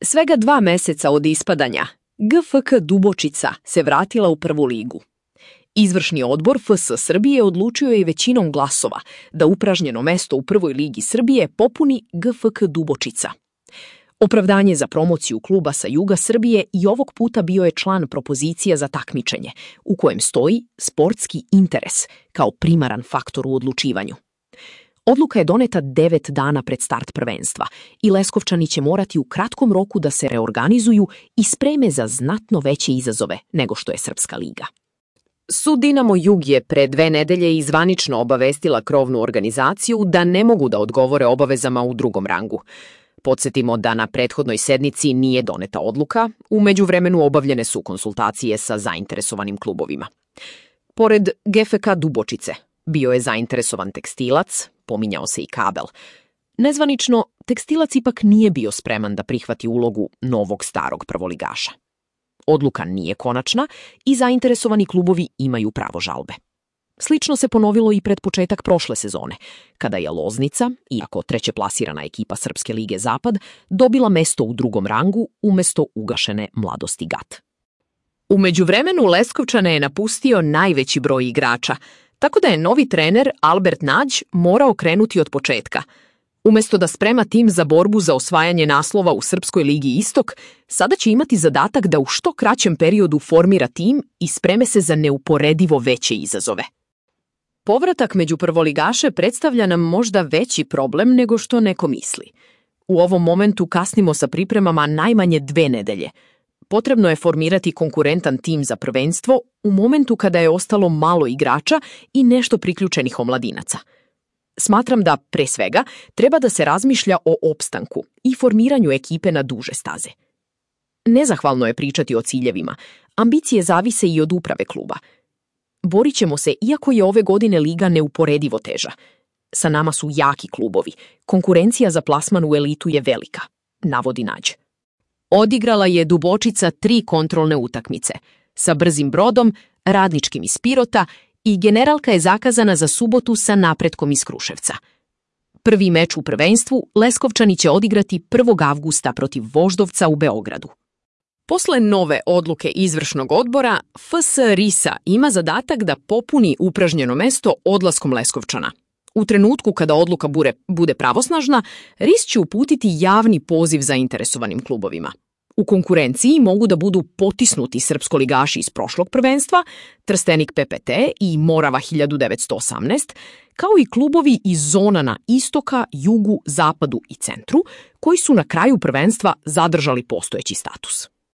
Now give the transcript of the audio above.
Svega 2 meseca od ispadanja, GFK Dubočica se vratila u prvu ligu. Izvršni odbor FS Srbije odlučio je većinom glasova da upražnjeno mesto u prvoj ligi Srbije popuni GFK Dubočica. Opravdanje za promociju kluba sa juga Srbije i ovog puta bio je član propozicija za takmičenje, u kojem stoji sportski interes kao primaran faktor u odlučivanju. Odluka je doneta 9 dana pred start prvenstva i Leskovčani će morati u kratkom roku da se reorganizuju i spreme za znatno veće izazove nego što je Srpska liga. Sud Dinamo Jug je pre 2 nedelje zvanično obavestila krovnu organizaciju da ne mogu da odgovore obavezama u drugom rangu. Podsjetimo da na prethodnoj sednici nije doneta odluka, u međuvremenu obavljene su konsultacije sa zainteresovanim klubovima. Pored GFK Dubočice, bio je zainteresovan Tekstilac, pominjao se i Kabel. Nezvanično, Tekstilac ipak nije bio spreman da prihvati ulogu novog starog prvoligaša. Odluka nije konačna i zainteresovani klubovi imaju pravo žalbe. Slično se ponovilo i pred početak prošle sezone, kada je Loznica, iako trećeplasirana ekipa Srpske lige Zapad, dobila mesto u drugom rangu umesto ugašene Mladosti Gat. U međuvremenu Leskovčane je napustio najveći broj igrača, tako da je novi trener Albert Nađ morao krenuti od početka. Umesto da sprema tim za borbu za osvajanje naslova u Srpskoj ligi Istok, sada će imati zadatak da u što kraćem periodu formira tim i spreme se za neuporedivo veće izazove. Povratak među prvoligaše predstavlja nam možda veći problem nego što neko misli. U ovom momentu kasnimo sa pripremama najmanje 2 nedelje. Potrebno je formirati konkurentan tim za prvenstvo u momentu kada je ostalo malo igrača i nešto priključenih omladinaca. Smatram da, pre svega, treba da se razmišlja o opstanku i formiranju ekipe na duže staze. Nezahvalno je pričati o ciljevima. Ambicije zavise i od uprave kluba. Borit ćemo se, iako je ove godine liga neuporedivo teža. Sa nama su jaki klubovi. Konkurencija za plasman u elitu je velika, navodi Nađ. Odigrala je Dubočica 3 kontrolne utakmice, sa Brzim Brodom, Radničkim iz Pirota i generalka je zakazana za subotu sa Napretkom iz Kruševca. Prvi meč u prvenstvu Leskovčani će odigrati 1. avgusta protiv Voždovca u Beogradu. Posle nove odluke izvršnog odbora, FS Risa ima zadatak da popuni upražnjeno mesto odlaskom Leskovčana. U trenutku kada odluka bude pravosnažna, RIS će uputiti javni poziv zainteresovanim klubovima. U konkurenciji mogu da budu potisnuti srpskoligaši iz prošlog prvenstva, Trstenik PPT i Morava 1918, kao i klubovi iz zona na istoka, jugu, zapadu i centru, koji su na kraju prvenstva zadržali postojeći status.